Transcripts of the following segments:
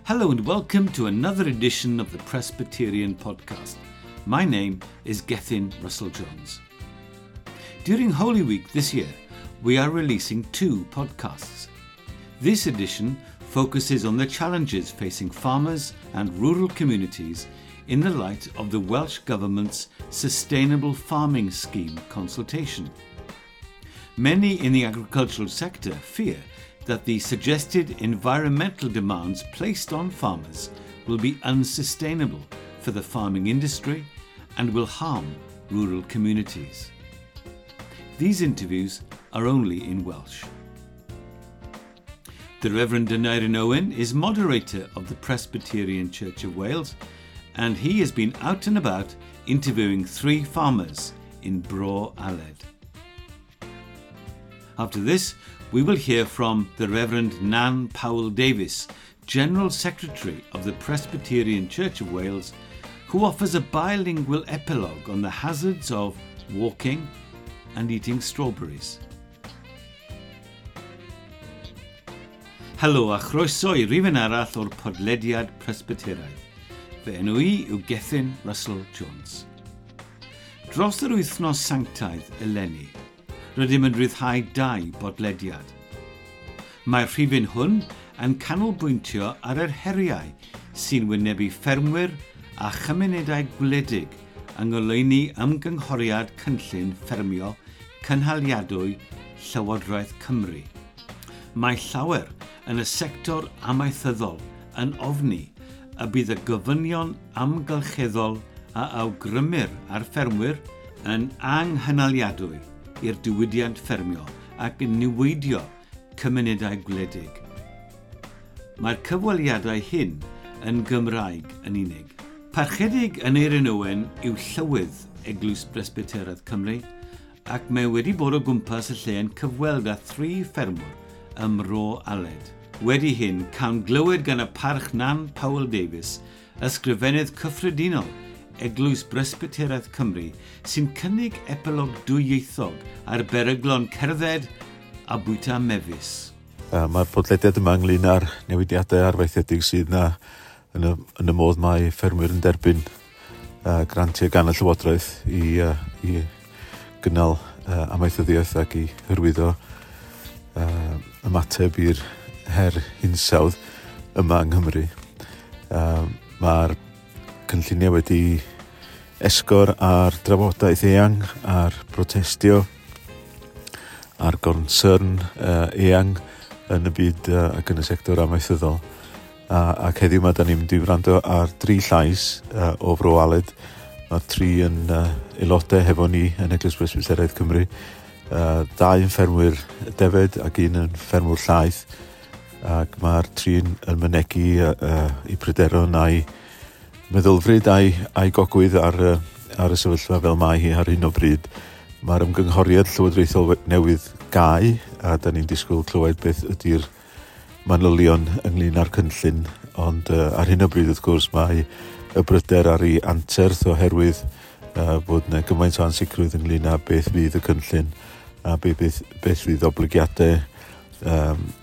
Hello and welcome to another edition of the Presbyterian Podcast. My name is Gethin Russell Jones. During Holy Week this year, we are releasing two podcasts. This edition focuses on the challenges facing farmers and rural communities in the light of the Welsh Government's Sustainable Farming Scheme consultation. Many in the agricultural sector fear that the suggested environmental demands placed on farmers will be unsustainable for the farming industry and will harm rural communities. These interviews are only in Welsh. The Reverend Aneurin Owen is moderator of the Presbyterian Church of Wales, and he has been out and about interviewing three farmers in Bro Aled. After this, we will hear from the Reverend Nan Powell Davies, General Secretary of the Presbyterian Church of Wales, who offers a bilingual epilogue on the hazards of walking and eating strawberries. Helo a chroeso i rifyn arall o'r podlediad Presbyteraidd. Fy enw i yw Gethin Russell Jones. Dros yr wythnos sanctaidd eleni, rydym yn rhyddhau dau bodlediad. Mae'r rhifyn hwn yn canolbwyntio ar yr heriau sy'n wynebu ffermwyr a chymunedau gwledig yng ngoleuni ymgynghoriad cynllun ffermio cynhaliadwy Llywodraeth Cymru. Mae llawer yn y sector amaethyddol yn ofni y bydd y gofynion amgylcheddol a awgrymir ar ffermwyr yn anghynaliadwy i'r diwydiant ffermio ac yn niweidio cymunedau gwledig. Mae'r cyfweliadau hyn yn Gymraeg yn unig. Parchedig Aneurin Owen yw llywydd Eglwys Bresbyteraidd Cymru ac mae wedi bod o gwmpas y lle yn cyfweld â thri ffermwr ym Mro Aled. Wedi hyn, cawn glywed gan y parch Nan Powell Davies, ysgrifennydd cyffredinol Eglwys Bresbyteraidd Cymru, sy'n cynnig epilog dwyieithog ar beryglon cerdded a bwyta mefus. Mae'r podlediad yma ynglyn â'r newidiadau arfaethedig sydd yna yn y modd mae ffermwyr yn derbyn grantiau gan y Llywodraeth i gynnal amaethyddiaeth ac i hyrwyddo ymateb i'r her hinsawdd yma yng Nghymru. Mae'r cynlluniau wedi esgor ar drafodaeth eang, ar protestio, ar goncern eang yn y byd ac yn y sector amaethyddol. Ac heddiw yma, da ni'n mynd i wrando ar dri llais o Fro Aled. Mae'r tri yn aelodau hefo ni yn Eglwys Bresbyteraidd Cymru. Dau yn ffermwyr defed ac un yn ffermwr llaeth. Ac mae'r tri yn mynegi eu pryderon a'i meddylfryd a'i gogwydd ar y sefyllfa fel mae hi ar hyn o bryd. Mae'r ymgynghoriad llywodraethol newydd gau, a da ni'n disgwyl clywed beth ydy'r manylion ynglyn â'r cynllun, ond ar hyn o bryd wrth gwrs mae y bryder ar ei anterth oherwydd bod yna gymaint o ansicrwydd ynglyn â beth fydd y cynllun a beth fydd oblygiadau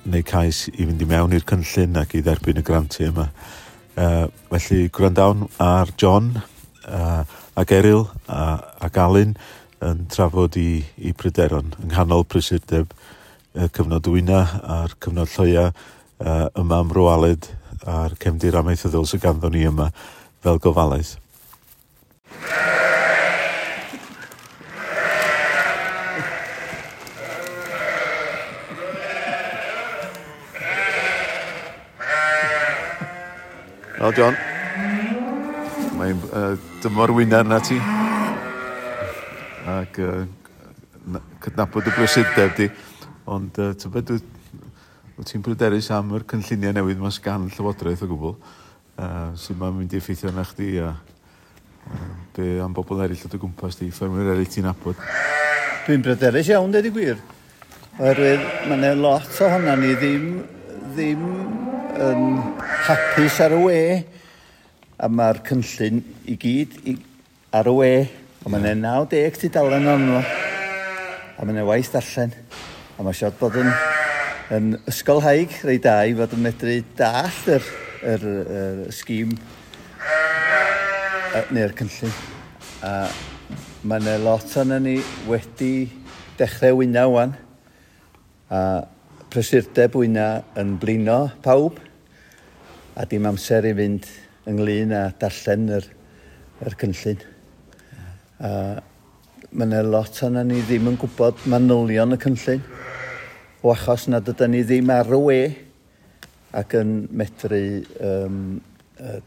neu cais i fynd i mewn i'r cynllun ac i dderbyn y grantiau yma. Felly gwrandawn ar John ac Eryl ac Alun yn trafod i pryderon yng nghanol prysurdeb y cyfnod wyna a'r cyfnod lloia yma ym Mro Aled a'r cefndir amaethyddol sydd ganddo ni yma fel gofalaeth. Wel, John, mae'n dymor wyna arna ti ac cydnabod y brysurdeb di, ond tybed, wyt ti'n bryderus am yr cynlluniau newydd mas gan Llywodraeth o gwbl, sydd mae'n mynd i effeithio arna chdi a be am bobl eraill o dy gwmpas di, ffermwyr eraill ti'n nabod? Dwi'n bryderus iawn, dweud y gwir, oherwydd mae yna lot ohono ni ddim yn hapus ar y we, a mae'r cynllun i gyd ar y we, a mae'n 90 tudalen arno fo, a mae'n waith darllen, a mae siarad bod yn ysgolhaig reit da i fod yn medru dallt yr sgîm neu'r cynllun. A mae yna lot o'na ni wedi dechrau wyna wan. A prysurdeb wyna yn blino pawb. A dim amser i fynd ynglyn â darllen yr cynllun. A mae yna lot o'na ni ddim yn gwybod manylion y cynllun. O achos nad ydyn ni ddim ar y we ac yn medru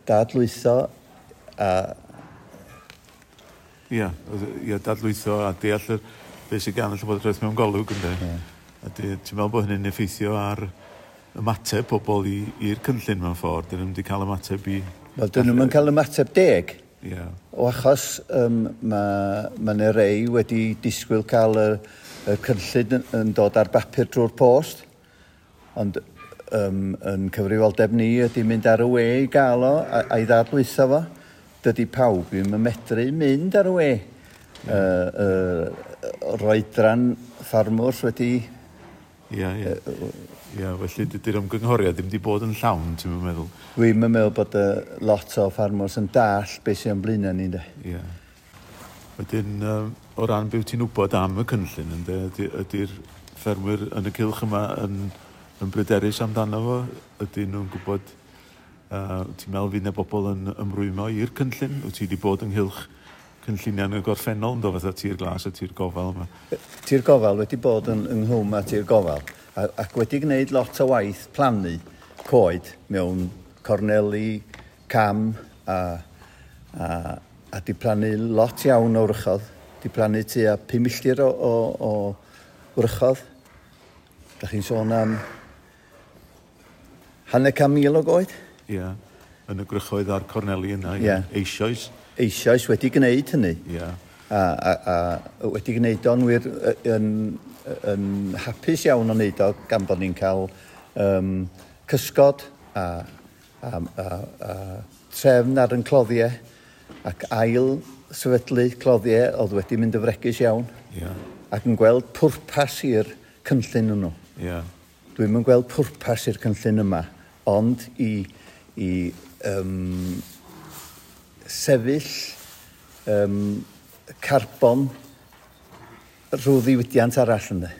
dadlwytho a... Ia, dadlwytho a deall beth sydd gan y Llywodraeth mewn golwg, ynddo. Yeah. A ti'n meddwl bod hynny'n effeithio ar ymateb pobl i'r cynllun mewn ffordd? Dyn nhw'n wedi cael ymateb i... Wel, dyn nhw'n cael ymateb deg. Yeah. O achos mae yna rei wedi disgwyl cael y cynllun yn dod ar bapur drwy'r post, ond yn cyfrifoldeb ni ydy mynd ar y we i gael o a'i ddadlwytho fo. Dydy pawb ddim yn medru mynd ar y we. Yr oedran ffarmwrs wedi... Ia. Ia, felly dydy'r ymgynghoriad ddim wedi bod yn llawn, ti'n meddwl? Dwi'n meddwl bod lot o ffarmwrs yn dall beth sy'n blaenau ni, de. Ia. Wedyn, o ran be wyt ti'n wybod am y cynllun, ynde, ydy'r ffermwyr yn y cylch yma yn bryderus amdano fo? Ydyn nhw'n gwybod, ti'n meddwl fydd yna bobl yn ymrwymo i'r cynllun? Wyt ti wedi bod ynghylch cynlluniau yn y gorffennol, ynddo, fatha Tir Glas a Tir Gofal yma? Tir Gofal wedi bod ynghlwm â Tir Gofal ac wedi gwneud lot o waith plannu coed mewn corneli, cam a di plannu lot iawn o wrychodd. Di plannu tua 5 milltir o wrychodd. Da chi'n sôn am 500,000 o goed? Ie, yn y gwrychoedd a'r corneli yna, yeah. Eisoes. Eisoes wedi gwneud hynny. Ie. A wedi gwneud o'n wir yn hapus iawn o wneud o gan bod ni'n cael cysgod a trefn ar yn cloddiau ac ail sefydlu cloddiau oedd wedi mynd yn fregus iawn. Yeah. Ac yn gweld pwrpas i'r cynllun nhw. Yeah. Dwi'm yn gweld pwrpas i'r cynllun yma, ond i sefyll carbon rhyw ddiwydiant arall ynddo.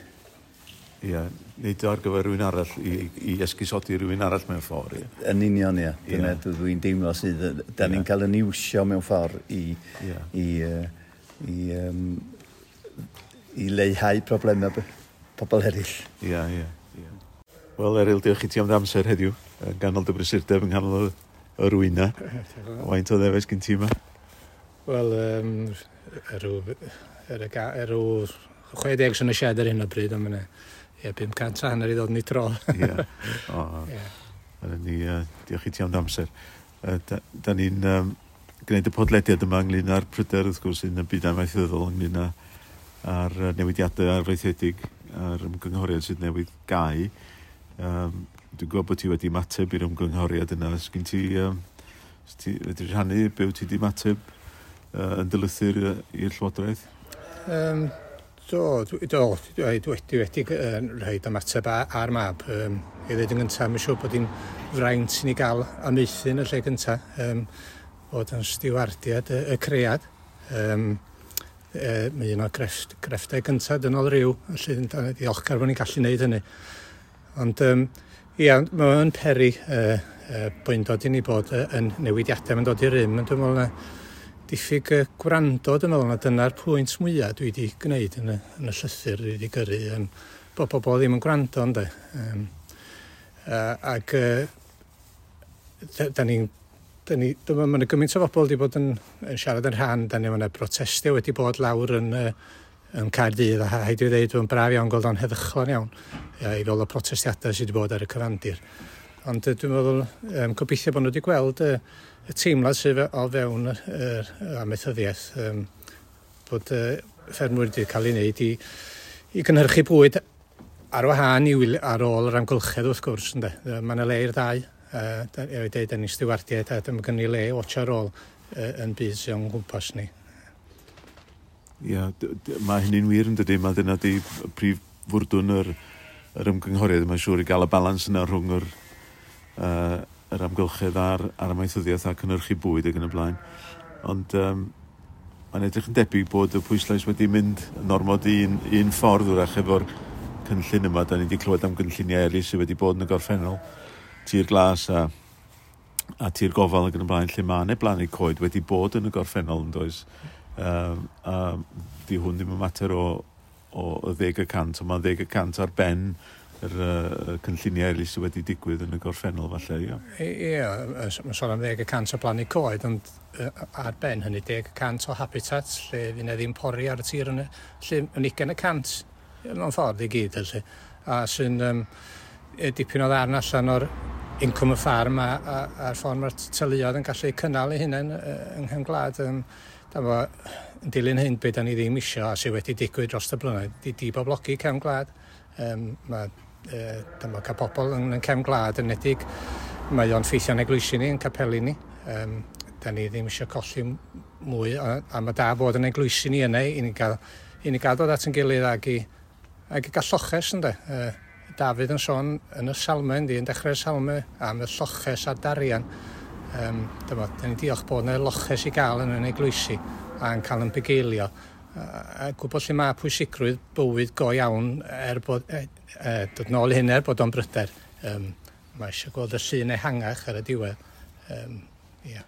Ie, neud o ar gyfer rhywun arall, i esgusodi rhywun arall mewn ffordd. Ie. Yn union, ie. Dyna dwi'n deimlo sydd, da ni'n cael yn iwsio mewn ffordd i leihau problemau pobl eraill. Ie. Wel, Eryl, diolch i ti am dy amser heddiw, yn ganol dy brysurdeb, yn ganol yr wyna. Faint o ddefes gen ti yma? Wel, erw 60 sy'n y shed ar hyn o bryd, ond mae'n 500 i ddod yn ei tro. Ie. Diolch i ti am dy amser. Da ni'n gwneud y podlediad yma ynglyn â'r pryder, wrth gwrs, yn y byd amaethyddol, ynglyn â'r newidiadau arfaethedig a'r ymgynghoriad sydd newydd gau. Dwi'n gwybod bod ti wedi ymateb i'r ymgynghoriad yna. Sgyn ti, wedi rhannu be wyt ti wedi ymateb yn dy lythyr i'r Llywodraeth? Do, dwi wedi rhoi ymateb ar mab. I ddweud yn gyntaf, mae'n siŵr bod hi'n fraint i ni gael amaethu yn y lle gyntaf, bod yn stiwardiad y cread. Mae un o'r grefftau gyntaf dynol rhyw, felly diolchgar bod ni'n gallu gwneud hynny. Ond ia, mae'n peri boendod i ni bod yn newidiadau, mae'n dod i rym, ond dwi'n meddwl na diffyg gwrando, dwi'n meddwl na dyna'r pwynt mwyaf dwi wedi gwneud yn y llythyr dwi wedi gyrru, bod pobl ddim yn gwrando, ynde. Ac da ni'n, mae yna gymaint o bobl wedi bod yn siarad yn rhan, da ni, mae yna protestio wedi bod lawr yn Caerdydd, a rhaid i ddweud, mae'n braf iawn gweld o'n heddychlon iawn i fel y protestiadau sydd wedi bod ar y cyfandir. Ond dwi'n meddwl, gobeithio bod nhw wedi gweld y teimlad sydd o fewn yr amaethyddiaeth, bod ffermwyr wedi cael ei wneud i gynhyrchu bwyd ar wahân i ar ôl yr amgylchedd wrth gwrs, ynde. Mae yna le i'r ddau. I dweud, da ni'n stiwardiaid a dyma gen i le watch ar ôl yn byd sy'n o'n gwmpas ni. Ia, mae hynny'n wir yn dydy. Mae dyna di prif fwrdwn yr ymgynghoriad. Mae'n siŵr i gael y balans yna rhwng yr yr amgylchedd a'r amaethyddiaeth a cynnyrchu bwyd ac yn y blaen. Ond mae'n edrych yn debyg bod y pwyslais wedi mynd yn ormod un ffordd wrach efo'r cynllun yma. Da ni wedi clywed am gynlluniau eraill sydd wedi bod yn y gorffennol. Tir glas a tir gofal ac yn y blaen, lle mae yna blannu coed wedi bod yn y gorffennol yn does. A di hwn ddim yn mater o 10%, ond mae'n 10% ar ben yr cynlluniau eraill sydd wedi digwydd yn y gorffennol falle, ie. Ie, mae'n sôn am 10% o blannu coed, ond ar ben hynny 10% o habitat, lle fydd 'na ddim pori ar y tir yna, lle yn 20% mewn ffordd i gyd, felly. A sy'n dipyn o ddarn allan o'r incwm y ffarm a'r ffordd mae'r teuluoedd yn gallu cynnal eu hunain yng nghefn gwlad. Yn dilyn hyn, be da ni ddim isio, a sydd wedi digwydd dros y blynyddoedd, di diboblogi cefn gwlad. Mae dyma cael pobl yn cefn gwlad yn edig, mae o'n ffeithio'n eglwysi ni, yn capeli ni. Da ni ddim eisiau colli mwy, a mae da bod yn eglwysi ni yna i ni gael dod at yn gilydd ag i gael lloches, ynde. Dafydd yn sôn yn y salmau, yndi, yn dechrau'r salmau, am y lloches a darian. Dyma, da ni'n diolch bod yna loches i gael yn eglwysi a'n cael yn bugeilio. A gwybod lle mae pwysigrwydd bywyd go iawn er bod, dod nôl i hyn er bod o'n bryder. Mae eisiau gweld y llun ehangach ar y diwedd. Yeah.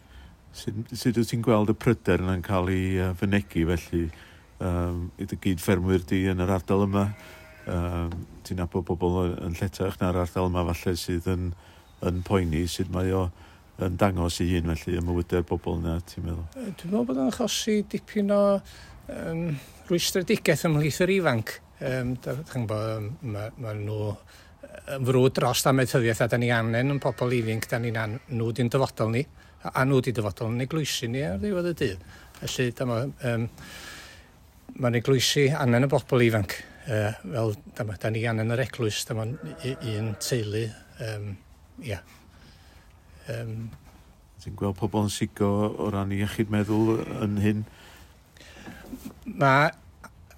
Sut wyt ti'n gweld y pryder yna'n cael ei fynegi felly i dy gyd-ffermwyr di yn yr ardal yma? Ti'n nabod pobl yn lletach na'r ardal yma falle sydd yn poeni, sut mae o yn dangos i hun felly ym mywydau'r bobl yna, ti'n meddwl? Dwi'n meddwl bod o'n achosi dipyn o rwystredigaeth ymhlith yr ifanc. Mae nhw yn frwd dros amaethyddiaeth a da ni angen yn pobl ifanc, da ni'n nhw di'n dyfodol ni, a nhw di dyfodol yn eglwysi ni ar ddiwedd y dydd. Felly dyma, mae'n eglwysi angen y bobl ifanc. Fel dyma, da ni angen yr eglwys, dyma un teulu. Ia. Ti'n gweld pobl yn sigo o ran iechyd meddwl yn hyn? Mae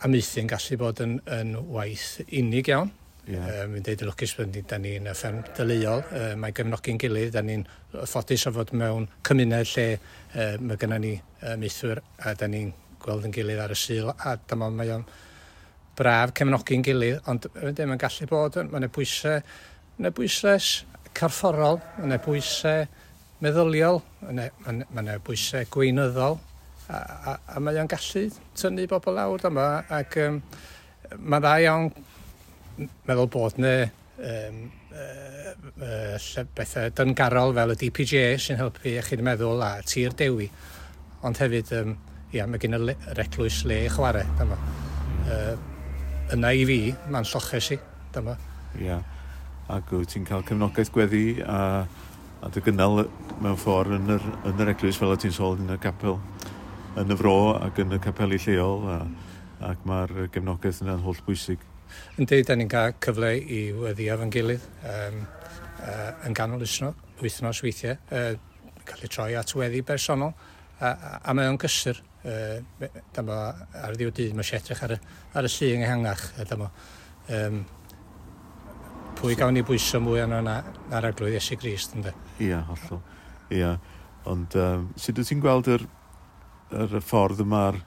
amaethu yn gallu bod yn waith unig iawn. Yeah. Mi'n deud yn lwcus bod da ni'n fferm deuluol, mae gefnogi'n gilydd, da ni'n ffodus o fod mewn cymuned lle mae gennym ni amaethwyr a da ni'n gweld yn gilydd ar y Sul, a dyma mae o'n braf cefnogi'n gilydd, ond mae'n gallu bod, mae'n bwysau corfforol, mae'n bwysau meddyliol, mae'n bwysau gweinyddol, a mae o'n gallu tynnu bobl lawr dyma, ac mae'n dda iawn meddwl bod yna bethau dyngarol fel y DPJ sy'n helpu iechyd meddwl a Tir Dewi, ond hefyd ia, mae gen yr eglwys le i chwarae dyma. Yna i fi, mae'n lloches i dyma. Ia, ac wyt ti'n cael cefnogaeth gweddi a dy gynnal mewn ffordd yn yr eglwys fel o ti'n sôn yn y capel yn y fro ac yn y capeli lleol, ac mae'r gefnogaeth yna'n holl bwysig. Yndi, da ni'n cael cyfle i weddio efo'n gilydd yn ganol wythnos weithiau, cael ei troi at weddi bersonol, a mae o'n gysur. Dyma, ar ddiwedd dydd, mae eisiau edrych ar y llun ehangach. Dyma, pwy gawn ni bwyso mwy arno na'r Arglwydd Iesu Grist, ynddo? Ia, hollol. Ia, ond sut wyt ti'n gweld yr ffordd yma'r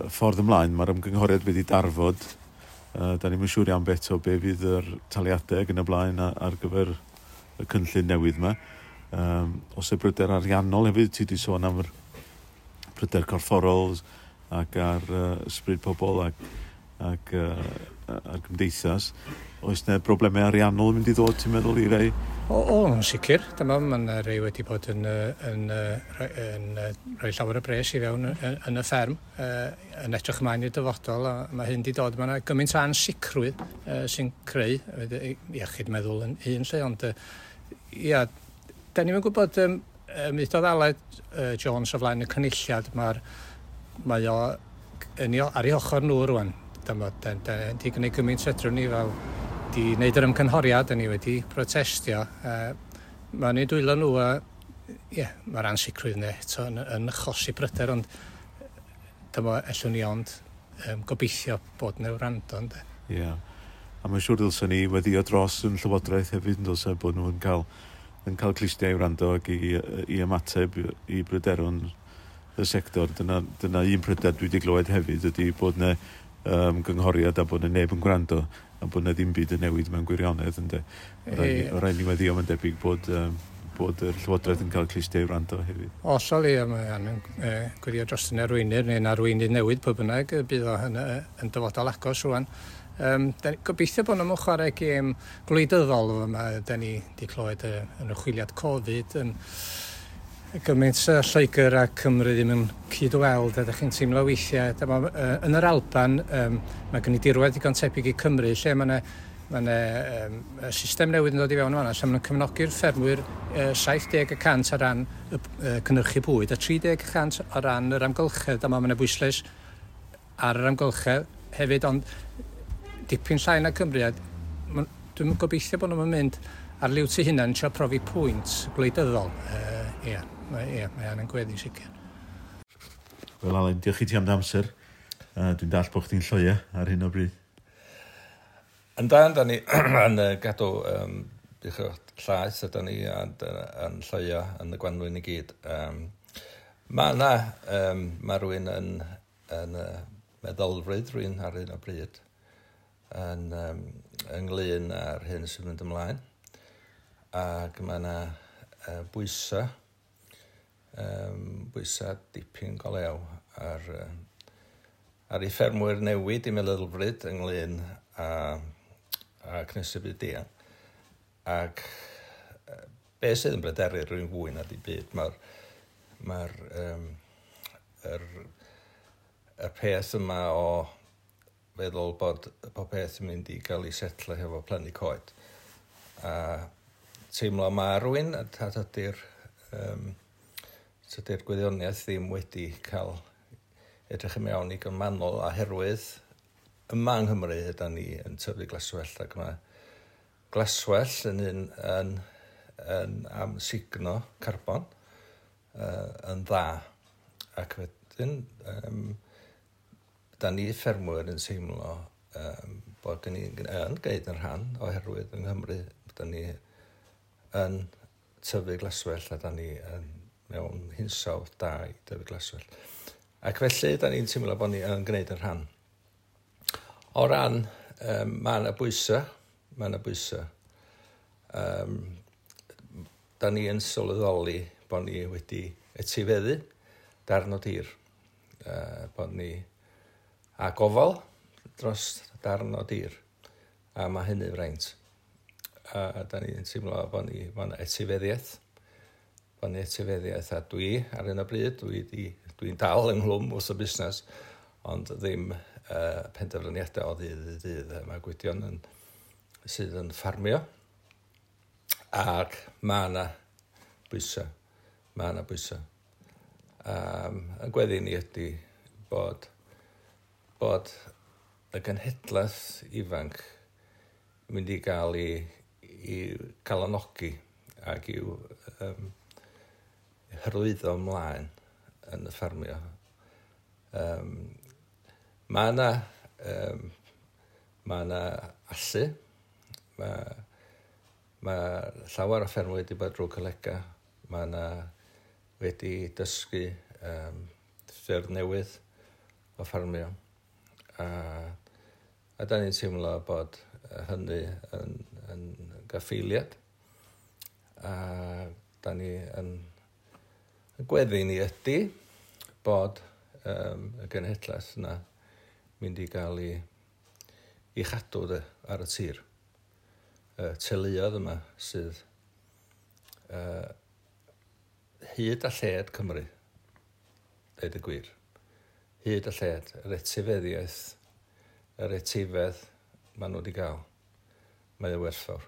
ffordd ymlaen, mae'r ymgynghoriad wedi darfod. Da ni'n siŵr iawn beth o be fydd yr taliadau ac yn y blaen ar gyfer y cynllun newydd yma. Os y bryder ariannol hefyd, ti wedi sôn am yr pryder corfforol ac ar ysbryd pobl ac ar gymdeithas. Oes yna broblemau ariannol yn mynd i ddod, ti'n meddwl, i rei? O, yn sicr. Dyma, mae yna rei wedi bod yn rhoi llawer o bres i fewn yn y fferm, yn edrych ymlaen i'r dyfodol, a mae hyn wedi dod. Mae yna gymaint o ansicrwydd sy'n creu iechyd meddwl yn un lle, ond ia, da ni'n gwybod, mi ddodd Aled Jones o flaen y cynulliad, mae o ar ei ochr nhw rwan. Dyma, da ni gwneud gymaint fedrwn ni fel di wneud yr ymgynghoriad, da ni wedi protestio. Mae'n ei dwylo nhw a ie, mae'r ansicrwydd yna eto yn achosi pryder, ond dyma ellwn ni ond gobeithio bod nhw'n wrando, ynddo. Ie, a mae'n siŵr dylsen ni weddio dros yn Llywodraeth hefyd, yn dylse bod nhw'n cael yn cael clustiau i wrando ac i ymateb i bryderon y sector. Dyna un pryder dwi wedi glywed hefyd ydy bod yna gynghoriad a bod yna neb yn gwrando a bod yna ddim byd yn newid mewn gwirionedd, ynde. O rhaid ni weddio, mae'n debyg bod y Llywodraeth yn cael clustiau i wrando hefyd. Hollol, ie, mae angen gweddio dros yn arweinydd neu'n arweinydd newydd pwy bynnag bydd o yn dyfodol agos rwan. Gobeithio bod nhw'n chwarae gêm gwleidyddol yma. Da ni wedi clywed yn y chwiliad Covid yn gymaint Lloegr a Cymru ddim yn cyd-weld, a ydych chi'n teimlo weithiau. Dyma, yn yr Alban, mae gen i dirwedd digon tebyg i Cymru, lle mae yna mae system newydd yn dod i fewn yma, lle maen nhw'n cefnogi'r ffermwyr 70% ar ran y cynhyrchu bwyd a 30% o ran yr amgylchedd. Dyma mae yna bwyslais ar yr amgylchedd hefyd, ond dipyn llai na Cymru. A dwi'n gobeithio bod nhw'n mynd ar liwt eu hunain yn trio profi pwynt gwleidyddol. Ie, mae angen gweddi'n sicr. Wel, Alun, diolch i ti am dy amser. Dwi'n dall bod chdi'n lloia ar hyn o bryd. Yndan, da ni yn gadw llaeth, a da ni yn lloia yn y gwanwyn i gyd. Mae yna, mae rhywun yn meddylfryd rhywun ar hyn o bryd yn ynglyn â'r hyn sy'n mynd ymlaen. Ac mae yna bwysa, bwysa dipyn go lew ar ei ffermwyr newid i meddylfryd ynglyn â cynhesu byd eang. Ac be sydd yn bryderu rhywun fwy na di byd, mae'r yr peth yma o feddwl bod pob peth yn mynd i gael ei setlo hefo plannu coed. A teimlo ma rhywun, a tydi'r gwyddoniaeth ddim wedi cael edrych i mewn i gymanol oherwydd yma yng Nghymru ydan ni yn tyfu glaswellt, ac mae glaswellt yn un yn amsugno carbon yn dda. Ac wedyn, da ni ffermwyr yn teimlo bod ni yn gwneud yn rhan oherwydd yng Nghymru da ni yn tyfu glaswellt a da ni yn mewn hinsawdd da i dyfu glaswellt. Ac felly da ni'n teimlo bod ni yn gwneud yn rhan. O ran, mae yna bwysau, mae yna bwysau. Da ni yn sylweddoli bod ni wedi etifeddu darn o dir. Bod ni a gofal dros darn o dir. A mae hynny fraint. A da ni'n teimlo bod ni bod yna etifeddiaeth. Bod ni etifeddiaeth, a dwi ar hyn o bryd, dwi'n dal ynghlwm wrth y busnes, ond ddim penderfyniadau o ddydd i ddydd. Mae Gwydion sydd yn ffarmio, ac mae yna bwysau. Mae yna bwysau. Y gweddi ni ydy bod y genhedlaeth ifanc yn mynd i gael i calonogi ac i'w hyrwyddo ymlaen yn y ffarmio. Mae yna allu, mae llawer o ffermwyr wedi bod drwy colega, mae yna wedi dysgu ffyrdd newydd o ffarmio. A da ni'n teimlo bod hynny yn gaffeiliad. A da ni yn gweddi ni ydy bod y genhedlaeth yna mynd i gael ei chadw ar y tir. Y teuluoedd yma sydd hyd a lled Cymru, dweud y gwir. Hyd a lled, yr etifeddiaeth, yr etifedd maen nhw wedi gael. Mae o werthfawr,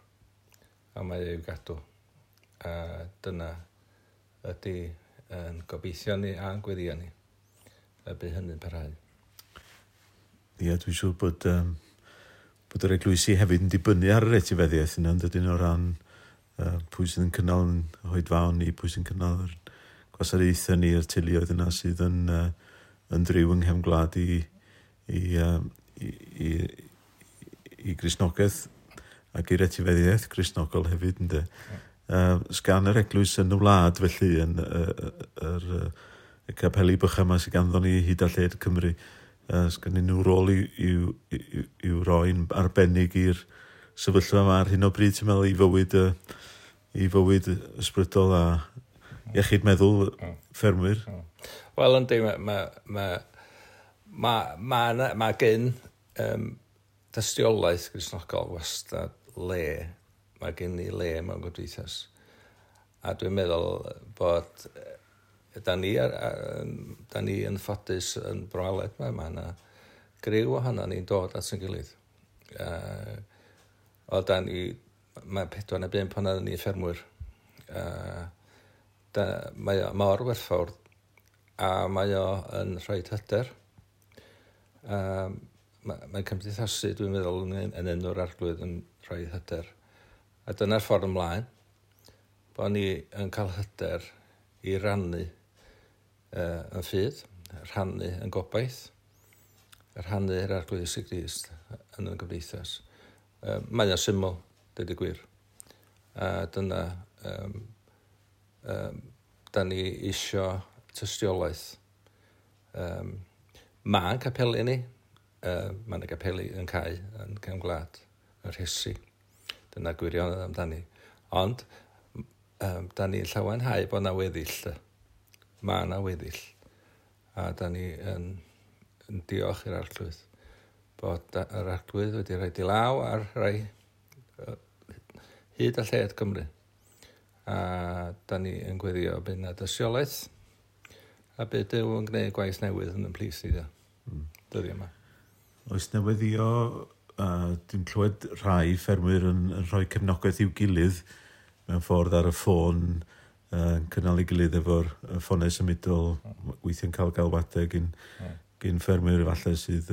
a mae i'w gadw. A dyna ydy yn gobeithio ni a'n gweddio ni, y bydd hynny'n parhau. Ie, dwi'n siŵr bod yr eglwysi hefyd yn dibynnu ar yr etifeddiaeth yna, yn dydyn, o ran pwy sydd yn cynnal yn oedfaon ni, pwy sy'n cynnal yr gwasanaethau ni, yr teuluoedd yna sydd yn driw yng nghefn gwlad i Gristnogaeth ac i'r etifeddiaeth Gristnogol hefyd, ynde. Sgan yr eglwys yn y wlad felly yn y capeli bychan yma sydd ganddo ni hyd a lled Cymru. Sgan nhw rôl i'w roi'n arbennig i'r sefyllfa yma ar hyn o bryd, ti'n meddwl, i fywyd ysbrydol a iechyd meddwl ffermwyr? Wel, yndi, ma gen dystiolaeth Gristnogol wastad le, mae gen i le mewn gymdeithas. A dwi'n meddwl bod da ni yn ffodus yn Bro Aled, mae yna griw ohono ni'n dod at ein gilydd. O da ni, mae 4 neu 5 ohono ni ffermwyr. Mae o mor werthfawr a mae o yn rhoi hyder. Mae'n cymdeithasu, dwi'n meddwl, yn enw'r Arglwydd yn rhoi hyder. A dyna'r ffordd ymlaen, bod ni yn cael hyder i rannu yn ffydd, rhannu yn gobaith, rhannu yr Arglwydd Iesu Grist yn y gymdeithas. Mae o'n syml, dweud y gwir. A dyna, da ni isio tystiolaeth. Mae'n capeli ni, mae'n capeli yn cae, yn cefn gwlad, yn rhesi. Dyna gwirionedd amdani. Ond, da ni'n llawenhau bod na weddill. Mae na weddill. A da ni yn diolch i'r Arglwydd bod yr Arglwydd wedi rhoi di law ar rai hyd a lled Cymru. A da ni yn gweddio bydd na dystiolaeth a bydd Duw yn gwneud gwaith newydd yn y plith ni dyddiau yma. Oes newyddio, dwi'n clywed rhai ffermwyr yn rhoi cefnogaeth i'w gilydd mewn ffordd ar y ffôn, yn cynnal ei gilydd efo'r ffonau symudol, weithiau'n cael galwadau gyn ffermwyr efallai sydd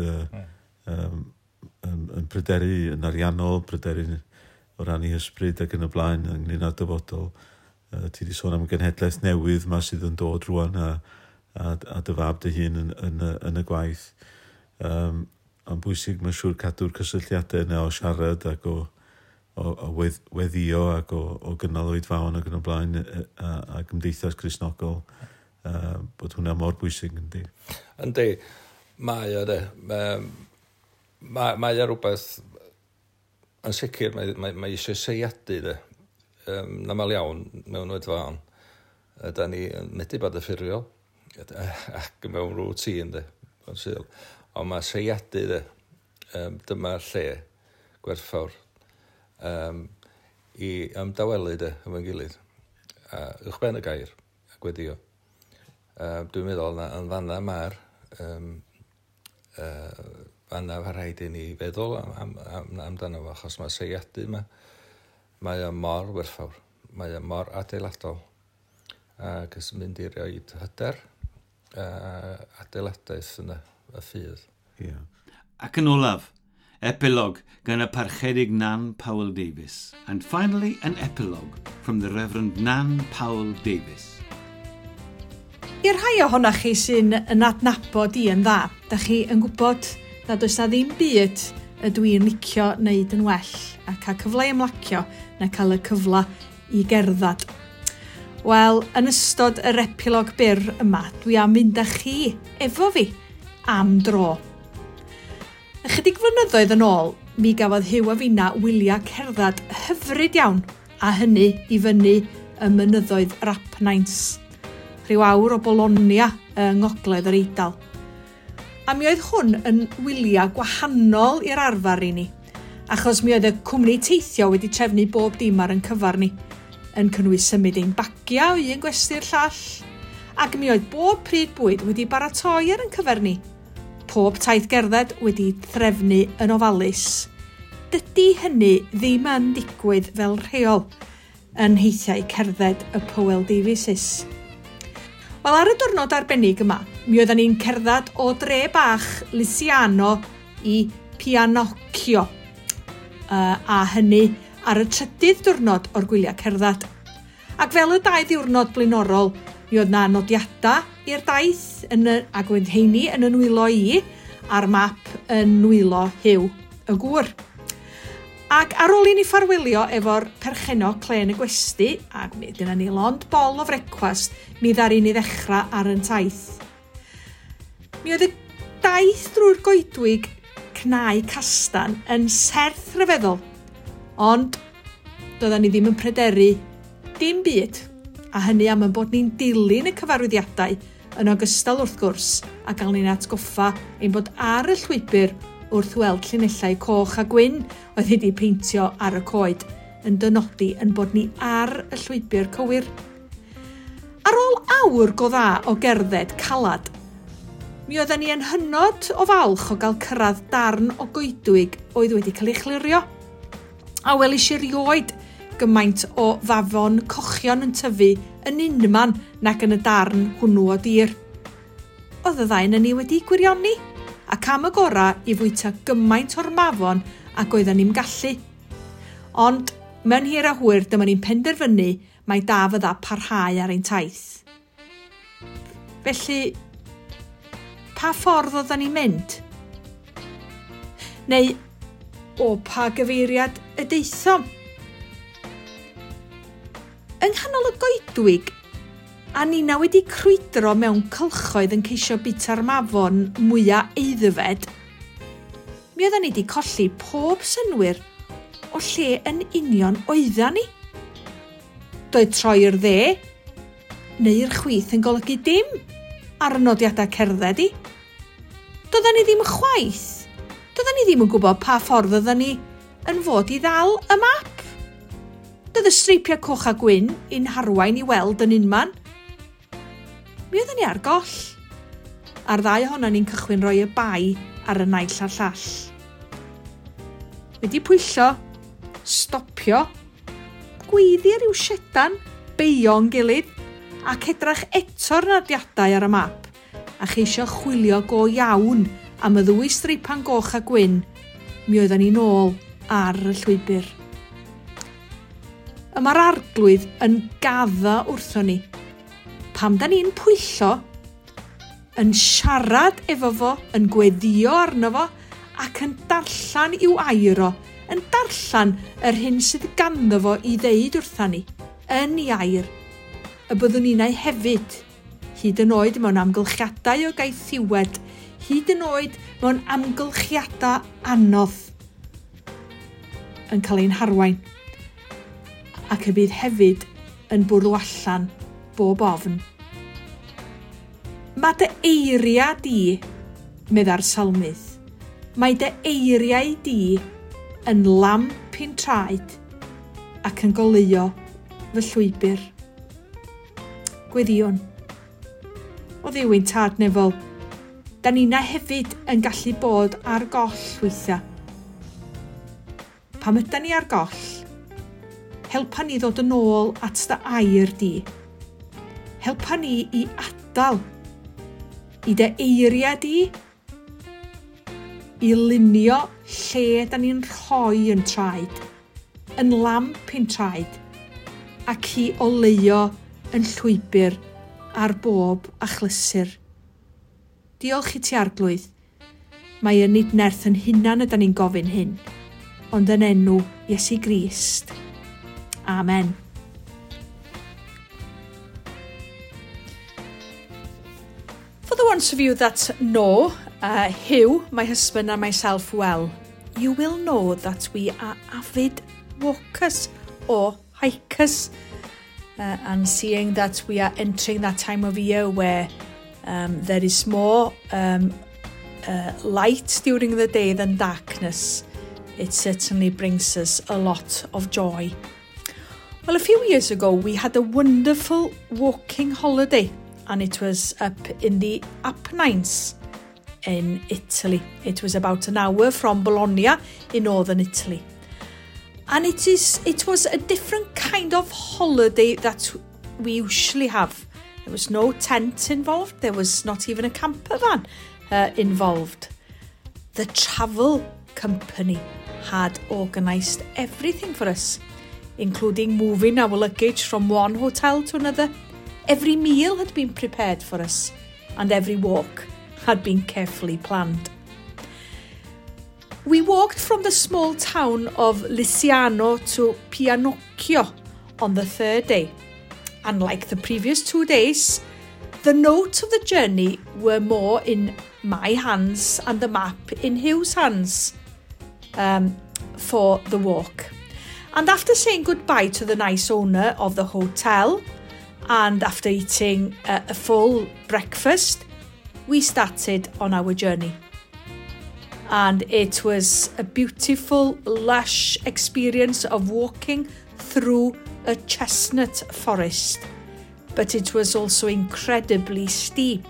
yn pryderu yn ariannol, pryderu o ran ei hysbryd ac yn y blaen ynglyn â'r dyfodol. Ti wedi sôn am genhedlaeth newydd ma sydd yn dod rwan a dy fab dy hun yn y gwaith. Ond bwysig, mae'n siŵr, cadw'r cysylltiadau yna o siarad ac o weddio ac o gynnal oedfaon ac yn y blaen a gymdeithas Gristnogol, bod hwnna mor bwysig, yndi? Yndi, mae o de. Mae o rhywbeth, yn sicr, mae eisiau seiadu de. Yn aml iawn mewn oedfaon. Da ni yn medru bod y ffurfiol ac mewn routine de. Ond mae seiadu de. Dyma'r lle gwerthfawr i ymdawelu de efo'n gilydd. Uwchben y gair a gweddio. Dwi'n meddwl na yn fanna mae'r fanna mae rhaid i ni feddwl amdano fo, achos mae seiadu yma, mae o mor werthfawr, mae o mor adeiladol, ac ys mynd i roed hyder adeiladaeth yna, y ffydd. Yeah. Ac yn olaf, epilog gan y Parchedig Nan Powell Davies. And finally, an epilogue from the Reverend Nan Powell Davies. I'r rhai ohonoch chi sy'n yn adnabod i yn dda, da chi yn gwybod nad oes na ddim byd ydw i'n licio wneud yn well a cael cyfle i ymlacio na cael y cyfle i gerdded. Wel, yn ystod yr epilog byr yma, dwi am fynd â chi efo fi am dro. Ychydig flynyddoedd yn ôl, mi gafodd Huw a finna wyliau cerdded hyfryd iawn, a hynny i fyny y mynyddoedd yr Apennines, rhyw awr o Bologna yng ngogledd yr Eidal. A mi oedd hwn yn wyliau gwahanol i'r arfer i ni, achos mi oedd y cwmni teithio wedi trefnu bob dim ar ein cyfar ni, yn cynnwys symud ein bagiau o un gwesty'r llall, ac mi oedd bob pryd bwyd wedi baratoi ar ein cyfer ni. Pob taith gerdded wedi threfnu yn ofalus. Dydy hynny ddim yn digwydd fel rheol yn heithiau cerdded y Powell Davieses. Wel, ar y diwrnod arbennig yma, mi oedden ni'n cerdded o dre bach Lisiano i Pianocchio, a hynny ar y trydydd diwrnod o'r gwyliau cerdded. Ac fel y 2 ddiwrnod blaenorol, mi oedd na nodiadau i'r daith ac oedd heini yn y nwylo i a'r map yn nwylo Huw y gŵr. Ac ar ôl i ni ffarwelio efo'r perchennog clen y gwesty, ac mi dyna ni lond bol o frecwast, mi ddaru ni ddechrau ar yn taith. Mi oedd y daith drwy'r goedwig cnau castan yn serth rhyfeddol, ond doedden ni ddim yn pryderu dim byd, a hynny am ein bod ni'n dilyn y cyfarwyddiadau yn ogystal wrth gwrs a gael ni'n atgoffa ein bod ar y llwybr wrth weld llinellau coch a gwyn oedd wedi peintio ar y coed yn dynodi yn bod ni ar y llwybr cywir. Ar ôl awr go dda o gerdded calad, mi oedden ni yn hynod o falch o gael cyrraedd darn o goedwig oedd wedi cael ei chlirio. A welis i erioed gymaint o fafon cochion yn tyfu yn unman nag yn y darn hwnnw o dir. Oedd y ddau yn ni wedi gwirioni, ac am y gorau i fwyta gymaint o'r mafon ac oedden ni'n gallu. Ond mewn hir a hwyr dyma ni'n penderfynu mai da fydda parhau ar ein taith. Felly, pa ffordd oedden ni'n mynd? Neu, o pa gyfeiriad y deithom? Yng nghanol y goedwig, a nina wedi crwydro mewn cylchoedd yn ceisio bita'r mafon mwyaf aeddfed, mi oedden ni wedi colli pob synnwyr o lle yn union oeddan ni. Doedd troi i'r dde neu i'r chwith yn golygu dim ar y nodiadau cerdded i. Doedden ni ddim chwaith. Doedden ni ddim yn gwybod pa ffordd oedden ni yn fod i ddal y map. Doedd y streipiau coch a gwyn i'n harwain i weld yn unman. Mi oedden ni ar goll. A'r ddau ohonon ni'n cychwyn roi y bai ar y naill a'r llall. Wedi pwyllo, stopio, gweiddi ar ryw siedan, beio'n gilydd, ac edrach eto'r nodiadau ar y map, a cheisio chwilio go iawn am y ddwy streipan goch a gwyn, mi oedden ni'n ôl ar y llwybr. Y mae'r arglwydd yn gaddo wrthon ni. Pam da ni'n pwyllo, yn siarad efo fo, yn gweddio arno fo, ac yn darllen i'w air o, yn darllen yr hyn sydd ganddo fo i ddeud wrtha ni, yn ei air, y byddwn ninnau hefyd, hyd yn oed mewn amgylchiadau o gaethiwed, hyd yn oed mewn amgylchiadau anodd, yn cael ein harwain, ac y bydd hefyd yn bwrw allan bob ofn. Mae dy eiriau di, medda'r salmydd, mae dy eiriau di yn lamp i'n traed ac yn goleuo fy llwybr. Gweddïwn. O Dduw ein tad nefol, da nina hefyd yn gallu bod ar goll weithiau. Pam ydan ni ar goll, helpa ni ddod yn ôl at dy air di. Helpa ni i adael i dy eiriau di, i lunio lle da ni'n rhoi yn traed, yn lamp i'n traed, ac i oleuo yn llwybr ar bob achlysur. Diolch i ti arglwydd. Mae yn nid nerth yn hunan ydan ni'n gofyn hyn, ond yn enw Iesu Grist. Amen. For the ones of you that know Hugh, my husband and myself well, you will know that we are avid walkers or hikers. And seeing that we are entering that time of year where there is more light during the day than darkness, it certainly brings us a lot of joy. Well, a few years ago, we had a wonderful walking holiday, and it was up in the Apennines in Italy. It was about an hour from Bologna in northern Italy. And it was a different kind of holiday that we usually have. There was no tent involved. There was not even a camper van involved. The travel company had organised everything for us, including moving our luggage from one hotel to another. Every meal had been prepared for us, and every walk had been carefully planned. We walked from the small town of Lisciano to Pianocchio on the third day. And like the previous 2 days, the notes of the journey were more in my hands and the map in Huw's hands for the walk. And after saying goodbye to the nice owner of the hotel and after eating a full breakfast, we started on our journey. And it was a beautiful, lush experience of walking through a chestnut forest, but it was also incredibly steep.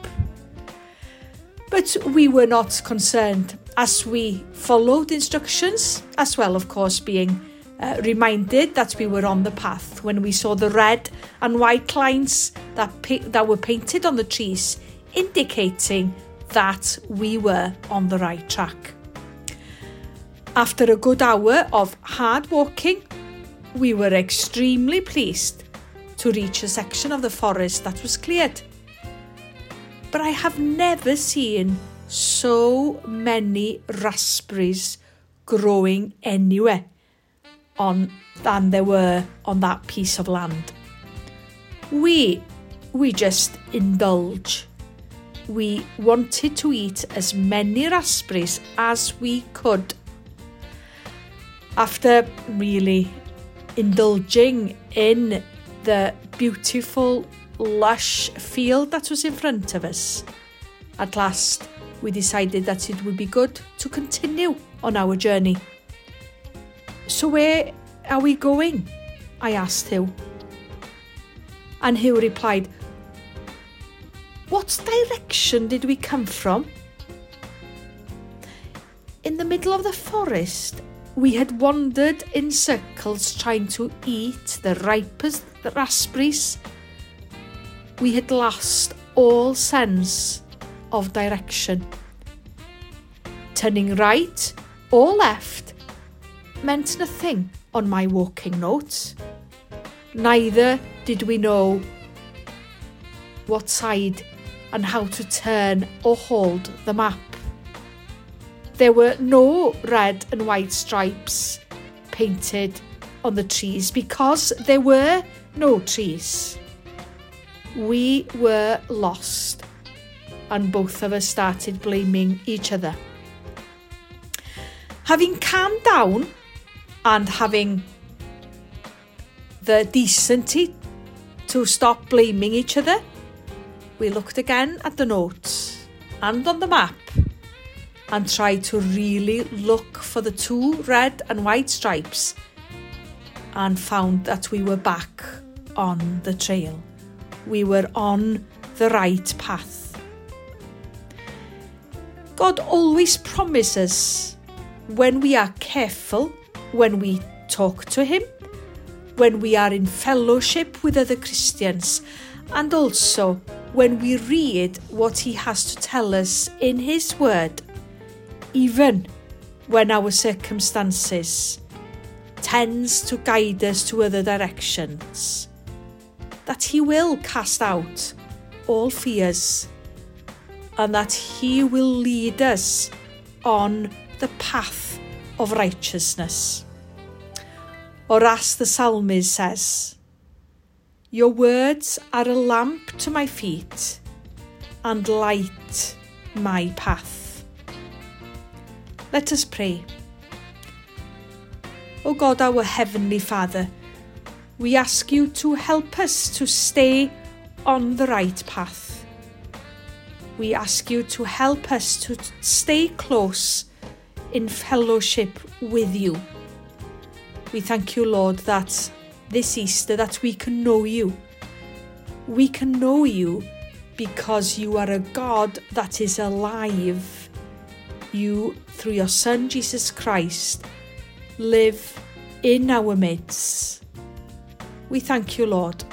But we were not concerned as we followed instructions, as well, of course, being reminded that we were on the path when we saw the red and white lines that were painted on the trees, indicating that we were on the right track. After a good hour of hard walking, we were extremely pleased to reach a section of the forest that was cleared. But I have never seen so many raspberries growing anywhere than there were on that piece of land. We just indulge. We wanted to eat as many raspberries as we could. After really indulging in the beautiful, lush field that was in front of us, at last we decided that it would be good to continue on our journey. So where are we going? I asked Huw. And Huw replied, what direction did we come from? In the middle of the forest, we had wandered in circles trying to eat the ripest raspberries. We had lost all sense of direction. Turning right or left meant nothing on my walking notes. Neither did we know what side and how to turn or hold the map. There were no red and white stripes painted on the trees because there were no trees. We were lost, and both of us started blaming each other. Having calmed down and having the decency to stop blaming each other, we looked again at the notes and on the map and tried to really look for the two red and white stripes and found that we were back on the trail. We were on the right path. God always promises when we are careful, when we talk to him, when we are in fellowship with other Christians, and also when we read what he has to tell us in his word, even when our circumstances tends to guide us to other directions, that he will cast out all fears and that he will lead us on the path of righteousness. Or as the psalmist says, your words are a lamp to my feet and light my path. Let us pray. O God, our Heavenly Father, we ask you to help us to stay on the right path. We ask you to help us to stay close in fellowship with you. We thank you, Lord, that this Easter that we can know you. We can know you because you are a God that is alive. You, through your Son, Jesus Christ, live in our midst. We thank you, Lord,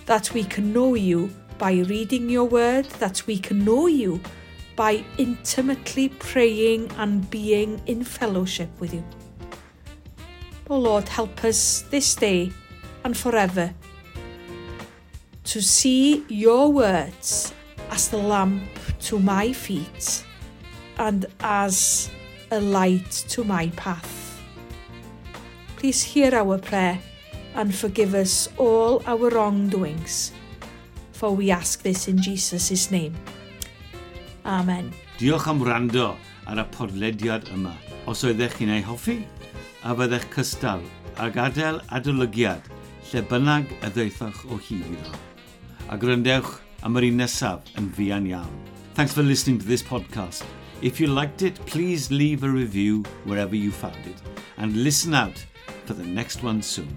that we can know you by reading your word, that we can know you by intimately praying and being in fellowship with you. O Lord, help us this day and forever to see your words as the lamp to my feet and as a light to my path. Please hear our prayer and forgive us all our wrongdoings, for we ask this in Jesus' name. Amen. Diolch am wrando ar y podlediad yma. Os oeddech chi'n ei hoffi, a fyddech cystal a gadael adolygiad lle bynnag y ddaethoch o hyd iddo. A gwrandewch am yr un nesaf yn fuan iawn. Thanks for listening to this podcast. If you liked it, please leave a review wherever you found it and listen out for the next one soon.